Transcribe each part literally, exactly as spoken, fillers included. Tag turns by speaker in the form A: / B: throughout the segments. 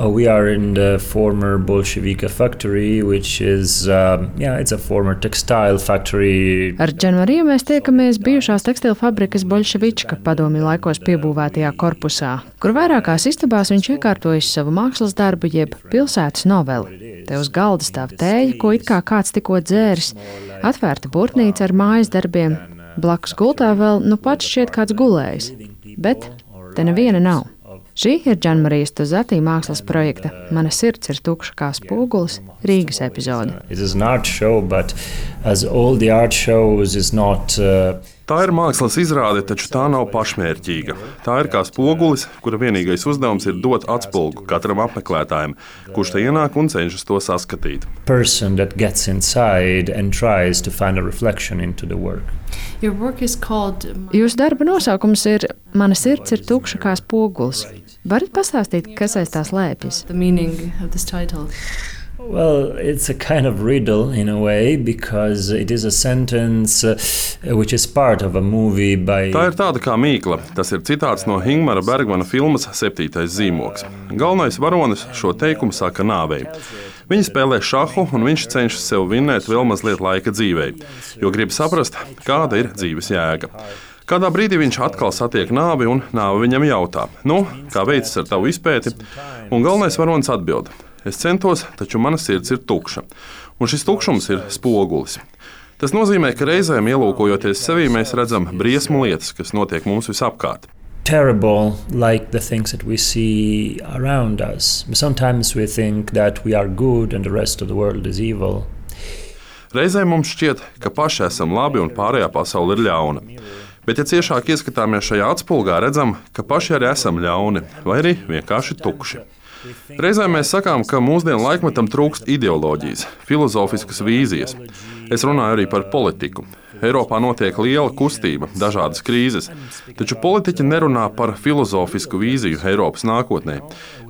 A: Uh, we are in the former Bolshevika factory, which is, uh, yeah, it's a former textile factory.
B: Ar Džanmariju mēs tiekamies bijušās tekstilu fabrikas Bolševička padomju laikos piebūvētajā korpusā, kur vairākās istabās viņš iekārtojis savu mākslas darbu jeb pilsētas noveli. Te uz galda stāv tēja, ko it kā kāds tikko dzēris, atvērta burtnīca ar mājas darbiem, blakus gultā vēl nu pats šķiet kāds gulējis, bet te neviena nav. Šī ir Džanmarijas Tozati mākslas projekta Mana sirds ir tukša kā spogulis Rīgas epizode.
A: Show, not, uh...
C: Tā ir mākslas izrāde, taču tā nav pašmērķīga. Tā ir kā spogulis, kura vienīgais uzdevums ir dot atspulgu katram apmeklētājam, kurš te ienāk un cenšas to saskatīt.
B: Called... Jūsu darba nosaukums ir Mana sirds ir tukša kā spogulis. Varat pastāstīt, kas aiz tās slēpjas?
A: Well, it's a kind of riddle in a way, because it is a sentence uh, which is part of a movie by...
C: Tā ir tāda kā mīkla. Tas ir citāts no Ingmara Bergmana filmas Septītais zīmogs. Galvenais varonis šo teikumu saka nāvei. Viņi spēlē šahu, un viņš cenšas sev vinnēt vēl mazliet laika dzīvei, jo grib saprast, kāda ir dzīves jēga. Kādā brīdī viņš atkal satiek nāvi, un nāve viņam jautā, nu, kā veicas ar tavu izpēti, un galvenais varonis atbild. Es centos, taču mana sirds ir tukša, un šis tukšums ir spogulis. Tas nozīmē, ka reizēm ielūkojoties sevī, mēs redzam briesmu lietas, kas notiek mums visapkārt.
A: Terrible, like the things that we see around us. Sometimes we think that we are good and the rest of the world is evil.
C: Reizēm mums šķiet, ka paši esam labi un pārējā pasaule ir ļauna. Bet, ja ciešāk ieskatāmies šajā atspulgā, redzam, ka paši arī esam ļauni vai arī vienkārši tukši. Reizēm mēs sakām, ka mūsdienu laikmetam trūkst ideoloģijas, filozofiskas vīzijas. Es runāju arī par politiku. Eiropā notiek liela kustība, dažādas krīzes, taču politiķi nerunā par filozofisku vīziju Eiropas nākotnē.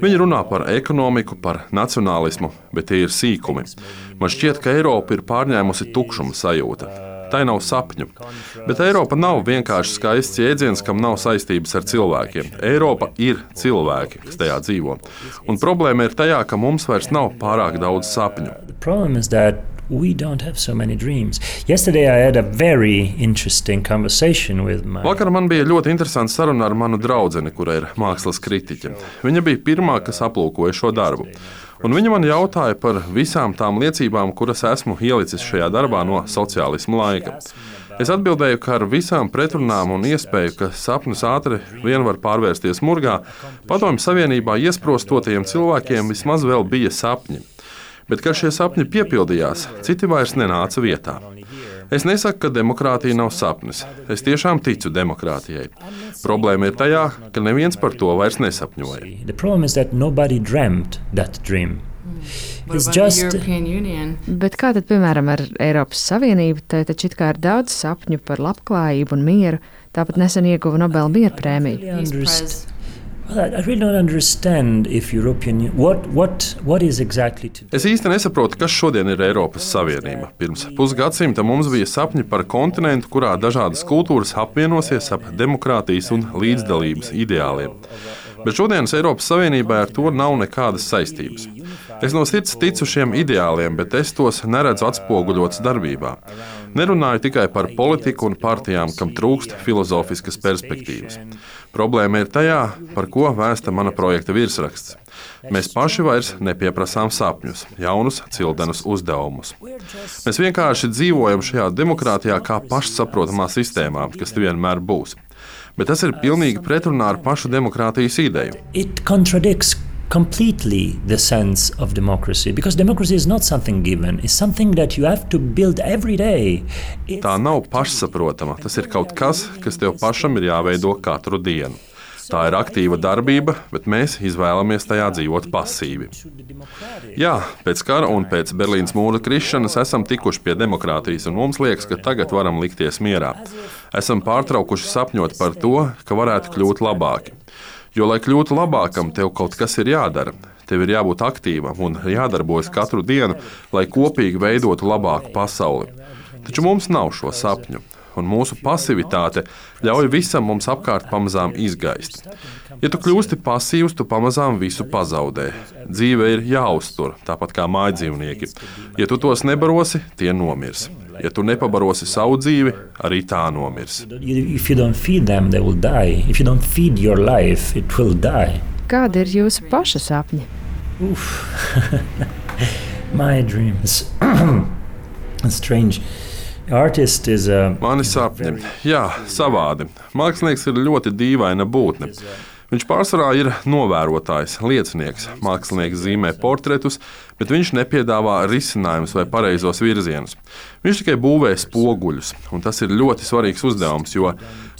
C: Viņi runā par ekonomiku, par nacionālismu, bet tie ir sīkumi. Man šķiet, ka Eiropa ir pārņēmusi tukšuma sajūta. Tai nav sapņu. Bet Eiropa nav vienkārši skaists jēdziens, kam nav saistības ar cilvēkiem. Eiropa ir cilvēki, kas tajā dzīvo. Un problēma ir tajā, ka mums vairs nav pārāk daudz sapņu.
A: We don't have so many dreams. Yesterday I had a very interesting conversation with my...
C: Vakar man bija ļoti interesanta saruna ar manu draudzeni, kura ir mākslas kritiķe. Viņa bija pirmā, kas aplūkoja šo darbu. Un viņa man jautāja par visām tām liecībām, kuras esmu ielicis šajā darbā no sociālisma laika. Es atbildēju, ka ar visām pretrunām un iespēju, ka sapnis ātri vien var pārvērsties murgā, Padomju Savienībā iesprostotajiem cilvēkiem vismaz vēl bija sapņi. Bet, kad šie sapņi piepildījās, citi vairs nenāca vietā. Es nesaku, ka demokrātija nav sapnis. Es tiešām ticu demokrātijai. Problēma ir tajā, ka neviens par to vairs nesapņoja.
B: Just... Bet kā tad, piemēram, ar Eiropas Savienību, te taču it kā ir daudz sapņu par labklājību un mieru, tāpat nesen ieguva Nobela miera prēmiju.
A: Well, I really don't understand if European what what what is exactly today.
C: Es īsti nesaprotu, kas šodien ir Eiropas Savienība. Pirms pusgadsimta mums bija sapņi par kontinentu, kurā dažādas kultūras apvienosies ap demokrātijas un līdzdalības ideāliem. Bet šodienas Eiropas Savienībā ar to nav nekādas saistības. Es no sirds ticu šiem ideāliem, bet es tos neredzu atspoguļots darbībā. Nerunāju tikai par politiku un partijām, kam trūkst filozofiskas perspektīvas. Problēma ir tajā, par ko vēsta mana projekta virsraksts. Mēs paši vairs nepieprasām sapņus, jaunus, cildenus uzdevumus. Mēs vienkārši dzīvojam šajā demokrātijā kā pašsaprotamā sistēmā, kas vienmēr būs. Bet tas ir pilnīgi pretrunā ar pašu demokrātijas ideju.
A: It contradicts completely the sense of democracy, because democracy is not something given, it's something that you have to build every day. It's...
C: Tā nav pašsaprotama, tas ir kaut kas, kas tev pašam ir jāveido katru dienu. Tā ir aktīva darbība, bet mēs izvēlamies tajā dzīvot pasīvi. Jā, pēc kara un pēc Berlīnas mūra krišanas esam tikuši pie demokrātijas, un mums liekas, ka tagad varam likties mierā. Esam pārtraukuši sapņot par to, ka varētu kļūt labāki. Jo, lai kļūtu labākam, tev kaut kas ir jādara. Tev ir jābūt aktīvam un jādarbojas katru dienu, lai kopīgi veidotu labāku pasauli. Taču mums nav šo sapņu. un mūsu pasivitāte ļauj visam mums apkārt pamazām izgaist. Ja tu kļūsti pasīvs, tu pamazām visu pazaudē. Dzīve ir jāuztur, tāpat kā mājdzīvnieki. Ja tu tos nebarosi, tie nomirs. Ja tu nepabarosi savu dzīvi, arī tā nomirs.
A: If you don't feed them, they will die. If you don't feed your life, it will die.
B: Kādi ir jūsu paša sapņi?
A: My dreams. Strange. Artist is a...
C: Mani sapņi. Jā, savādi. Mākslinieks ir ļoti dīvaina būtne. Viņš pārsvarā ir novērotājs, liecinieks. Mākslinieks zīmē portretus, bet viņš nepiedāvā risinājumus vai pareizos virzienus. Viņš tikai būvē spoguļus, un tas ir ļoti svarīgs uzdevums, jo,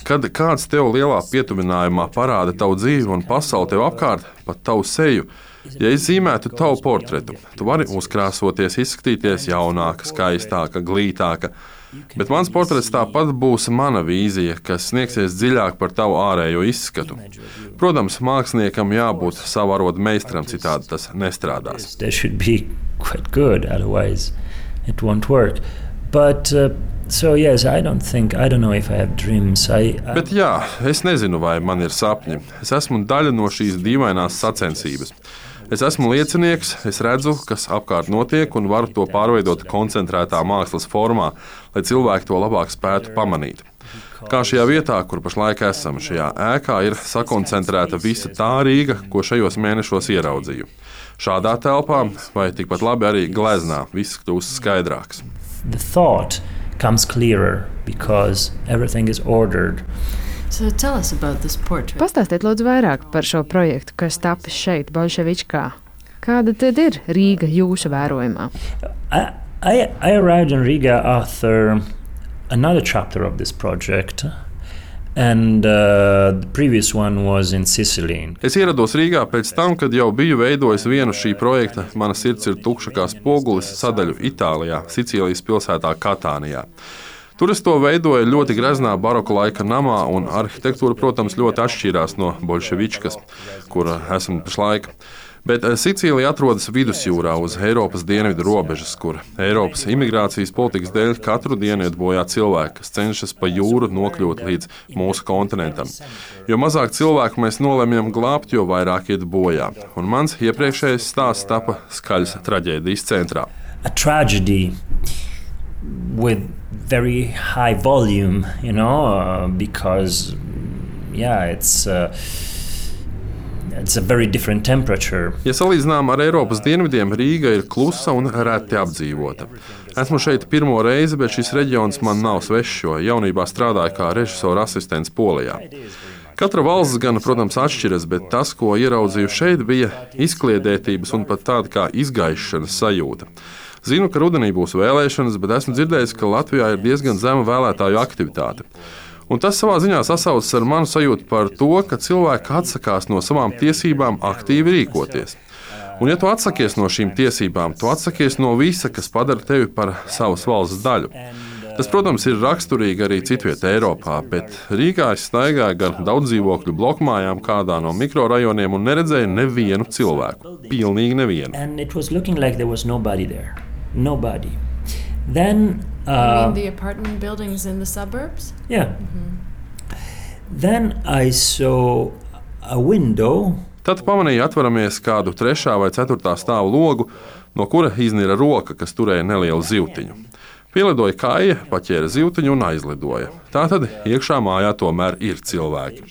C: kad kāds tev lielā pietuvinājumā parāda tavu dzīvi un pasauli tev apkārt, pat tavu seju, ja es zīmētu tavu portretu, tu vari uzkrāsoties, izskatīties jaunāka, skaistāka, glītāka. Bet mans portrets tāpat būs mana vīzija, kas sniegsies dziļāk par tavu ārējo izskatu. Protams, māksliniekam jābūt savu arodu meistaram, citādi tas nestrādās.
A: But, uh, so yes, I don't think, I don't know if I have dreams. I, I...
C: Bet jā, es nezinu, vai man ir sapņi. Es esmu daļa no šīs dīvainās sacensības. Es esmu liecinieks, es redzu, kas apkārt notiek, un varu to pārveidot koncentrētā mākslas formā, lai cilvēki to labāk spētu pamanīt. Kā šajā vietā, kur pašlaik esam, šajā ēkā ir sakoncentrēta visa tā Rīga, ko šajos mēnešos ieraudzīju. Šādā telpā, vai tikpat labi arī gleznā, viss kļūst skaidrāks.
A: The thought comes clearer because everything is ordered.
D: So tell us about this portrait.
B: Pastāstiet lūdzu vairāk par šo projektu, kas tapis šeit, Bolševičkā. Kāda tad ir Rīga jūsu vērojumā?
A: I, I, I arrived in Riga after another chapter of this project. And uh, the previous one was in Sicily.
C: Es ierados Rīgā pēc tam, kad jau biju veidojis vienu šī projekta Mana sirds ir tukša kā spogulis sadaļu Itālijā, Sicīlijas pilsētā Katānijā. Tur es to veidoju ļoti greznā baroka laika namā, un arhitektūra, protams, ļoti atšķīrās no Bolševičkas, kur esmu pašlaik. Bet Sicīlija atrodas vidusjūrā uz Eiropas dienvidu robežas, kur Eiropas imigrācijas politikas dēļ katru dienu iet bojā cilvēki, kas cenšas pa jūru nokļūt līdz mūsu kontinentam. Jo mazāk cilvēku mēs nolemjam glābt, jo vairāk iet bojā. Un mans iepriekšējais stāsts tapa skaļas traģēdijas centrā.
A: A tragedy with very high volume, you know, uh, because, yeah, it's... Uh, It's a very different temperature.
C: Ja salīdzinām ar Eiropas dienvidiem, Rīga ir klusa un reti apdzīvota. Esmu šeit pirmo reizi, bet šis reģions man nav svešs, jo jaunībā strādāju kā režisora asistents Polijā. Katra valsts gan, protams, atšķiras, bet tas, ko ieraudzīju šeit, bija izkliedētības un pat tāda kā izgaišanas sajūta. Zinu, ka rudenī būs vēlēšanas, bet esmu dzirdējis, ka Latvijā ir diezgan zema vēlētāju aktivitāte. Un tas savā ziņā sasaucas ar manu sajūtu par to, ka cilvēki atsakās no savām tiesībām aktīvi rīkoties. Un ja tu atsakies no šīm tiesībām, tu atsakies no visa, kas padara tevi par savas valsts daļu. Tas, protams, ir raksturīgi arī citviet Eiropā, bet Rīgā es staigāju gar daudzdzīvokļu blokmājām kādā no mikrorajoniem un neredzēju nevienu cilvēku. Pilnīgi nevienu.
A: And it was looking like there was nobody there. Nobody. Then, uh,
D: you mean the apartment buildings in the suburbs?
A: Yeah. Mm-hmm. Then I saw a window.
C: Tad pamanīju atveramies kādu trešā vai ceturtā stāvu logu, no kura iznira roka, kas turēja nelielu zivtiņu. Pielidoja kāja, paķēra zivtiņu un aizlidoja. Tātad iekšā mājā tomēr ir cilvēki.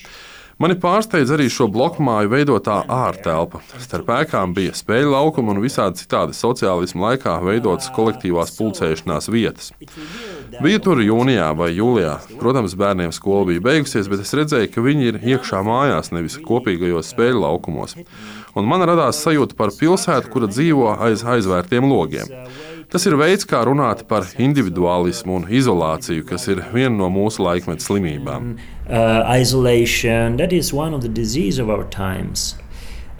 C: Mani pārsteidz arī šo blokmāju veidotā ārtelpa. Starp ēkām bija spēļu laukumi un visādi citādi sociālisma laikā veidotas kolektīvās pulcēšanās vietas. Biju tur jūnijā vai jūlijā. Protams, bērniem skola bija beigusies, bet es redzēju, ka viņi ir iekšā mājās, nevis kopīgajos spēļu laukumos. Un man radās sajūta par pilsētu, kura dzīvo aiz aizvērtiem logiem. Tas ir veids, kā runāt par individuālismu un izolāciju, kas ir viena no mūsu laikmeta slimībām.
A: Uh, isolation, that is one of the diseases of our times.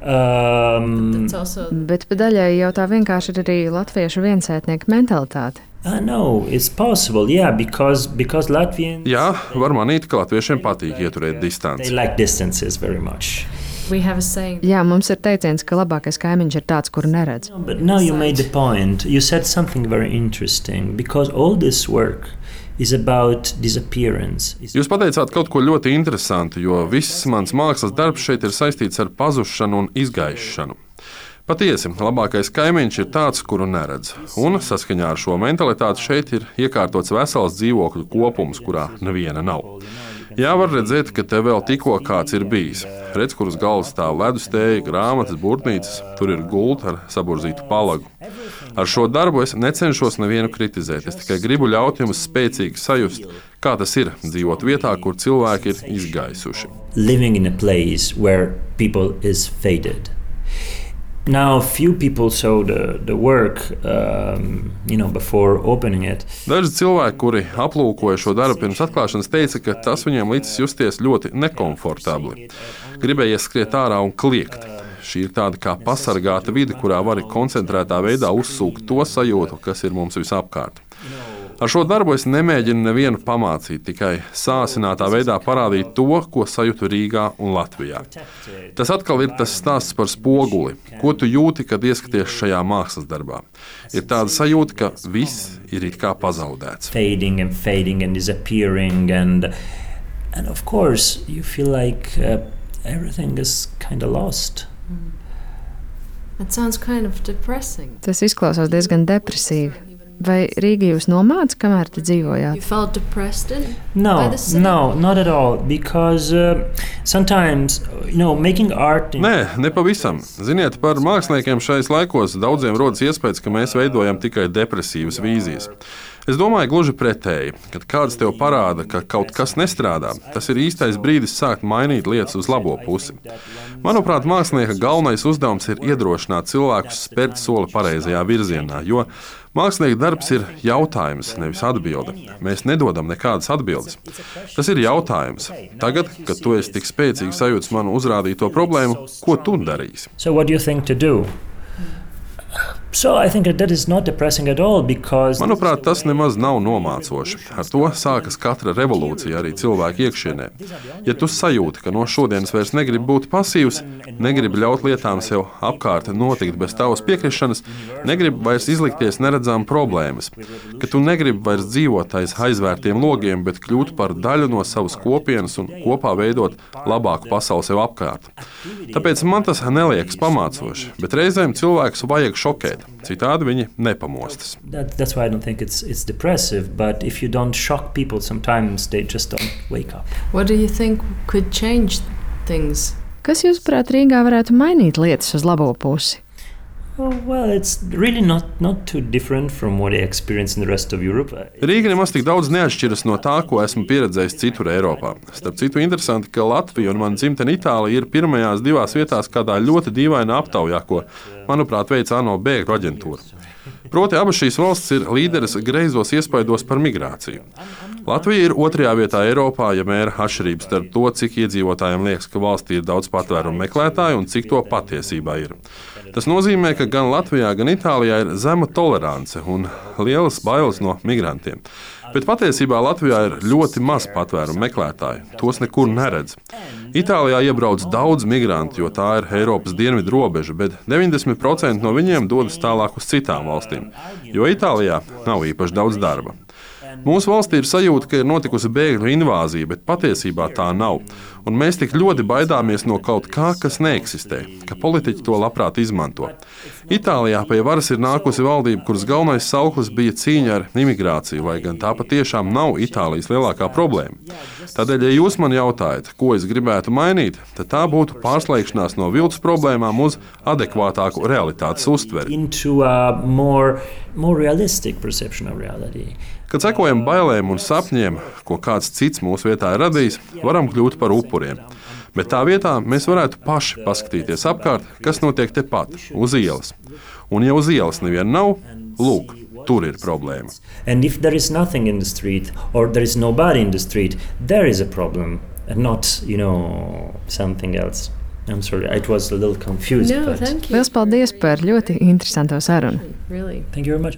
A: Um,
D: also...
B: Bet pa daļai jau tā vienkārši ir arī latviešu viensētnieku mentalitāte.
A: I know, it's possible, yeah, because, because Latvians...
C: Jā, var manīt, ka latviešiem patīk ieturēt distanci.
A: They like distances very much.
D: We have a saying.
B: Jā, mums ir teiciens, ka labākais kaimiņš ir tāds, kuru neredz.
A: No, but now you made the point. You said something very interesting, because all this work is about disappearance.
C: Jūs pateicāt kaut ko ļoti interesantu, jo viss mans mākslas darbs šeit ir saistīts ar pazušanu un izgaišanu. Patiesi, labākais kaimiņš ir tāds, kuru neredz. Un saskaņā ar šo mentalitāti šeit ir iekārtots vesels dzīvokļu kopums, kurā neviena nav. Jā, var redzēt, ka te vēl tikko kāds ir bijis. Redz, kur uz galvas stāv ledustēja, grāmatas, burtnīcas, tur ir gulta ar saburzītu palagu. Ar šo darbu es necenšos nevienu kritizēt, es tikai gribu ļaut jums spēcīgi sajust, kā tas ir dzīvot vietā, kur cilvēki ir izgaisuši.
A: Living in a place where people is faded. Now, few people saw the, the work, um, you know, before opening it.
C: Daži cilvēki, kuri aplūkoja šo darbu pirms atklāšanas, teica, ka tas viņiem licis justies ļoti nekomfortabli. Gribējies skriet ārā un kliegt. Šī ir tāda kā pasargāta vide, kurā vari koncentrētā veidā uzsūkt to sajūtu, kas ir mums visapkārt. Ar šo darbu es nemēģinu nevienu pamācīt, tikai sāsinātā veidā parādīt to, ko sajūtu Rīgā un Latvijā. Tas atkal ir tas stāsts par spoguli, ko tu jūti, kad ieskaties šajā mākslas darbā. Ir tāda sajūta, ka viss ir it kā pazaudēts.
A: Fading and fading and disappearing and, and of course you feel like uh, everything is kind of lost.
D: That sounds kind of depressing.
B: Tas izklausās diezgan depresīvi. Vai Rīga jūs nomāca, kamēr te dzīvojāt?
D: You felt depressed in
A: No,
D: by the city?
A: no, not at all. Because uh, sometimes, you know, making art. In...
C: Nē, nepavisam. Ziniet, par māksliniekiem šais laikos daudziem rodas iespējas, ka mēs veidojam tikai depresīvas vīzijas. Es domāju, gluži pretēji, kad kāds tev parāda, ka kaut kas nestrādā, tas ir īstais brīdis sākt mainīt lietas uz labo pusi. Manuprāt, mākslinieka galvenais uzdevums ir iedrošināt cilvēkus spērt soli pareizajā virzienā, jo mākslinieka darbs ir jautājums, nevis atbilde. Mēs nedodam nekādas atbildes. Tas ir jautājums. Tagad, kad tu esi tik spēcīgi sajūts manu uzrādīto problēmu, ko tu darīsi?
A: So what do you think to do? So I think that is not depressing at all because
C: Manuprāt, tas nemaz nav nomācoši. Ar to sākas katra revolūcija arī cilvēku iekšienē. Ja tu sajūti, ka no šodienas vairs negribi būt pasīvs, negribi ļaut lietām sev apkārt notikt bez tavas piekrišanas, negribi vairs izlikties neredzām problēmas, ka tu negribi vairs dzīvot aiz aizvērtiem logiem, bet kļūt par daļu no savas kopienas un kopā veidot labāku pasauli sev apkārt. Tāpēc man tas neliekas pamācoši, bet reizēm cilvēkus vajag šokēt. Citādi viņi nepamostas.
A: That, that's why I don't think it's it's depressive. But if you don't shock people, sometimes they just don't wake up.
D: What do you think could change things?
B: Kas, jūsuprāt, Rīgā varētu mainīt lietas uz labo pusi?
A: Oh, well, it's really not not too different from what I experienced in the rest of Europe.
C: Rīga nemaz tik daudz neatšķiras no tā, ko esmu pieredzējis citur Eiropā. Starp citu, interesanti, ka Latvija un mana dzimtene Itālija ir pirmajās divās vietās kādā ļoti dīvainā aptaujā, ko, manuprāt, veic ANO bēgļu aģentūra. Proti, abas šīs valstis ir līderes greizos iespaidos par migrāciju. Latvija ir otrajā vietā Eiropā, ja mēra atšķirības starp to, cik iedzīvotājiem liekas, ka valstī ir daudz patvērumu meklētāju un cik to patiesībā ir. Tas nozīmē, ka gan Latvijā, gan Itālijā ir zema tolerance un lielas bailes no migrantiem. Bet patiesībā Latvijā ir ļoti maz patvērumu meklētāju. Tos nekur neredz. Itālijā iebrauc daudz migrantu, jo tā ir Eiropas dienvidu robeža, bet deviņdesmit procenti no viņiem dodas tālāk uz citām valstīm, jo Itālijā nav īpaši daudz darba. Mūsu valstī ir sajūta, ka ir notikusi bēgļu invāzija, bet patiesībā tā nav. Un mēs tik ļoti baidāmies no kaut kā, kas neeksistē, ka politiķi to labprāt izmanto. Itālijā pie varas ir nākusi valdība, kuras galvenais sauklis bija cīņa ar imigrāciju, lai gan tā patiešām nav Itālijas lielākā problēma. Tādēļ, ja jūs man jautājat, ko es gribētu mainīt, tad tā būtu pārslēgšanās no viltus problēmām uz adekvātāku realitātes uztveri.
A: Into a more, more realistic perception of reality.
C: Kad sekojam bailēm un sapņiem, ko kāds cits mūsu vietā ir radījis, varam kļūt par upuriem. Bet tā vietā mēs varētu paši paskatīties apkārt, kas notiek tepat, uz ielas. Un ja uz ielas neviena nav, lūk, tur ir problēma.
A: And if there is nothing in the street or there is nobody in the street, there is a problem and not, you know, something else. I'm sorry, it was a little confused.
D: No,
A: but
D: thank you.
B: Liels paldies par ļoti interesantu sarunu.
D: Really.
A: Thank you very much.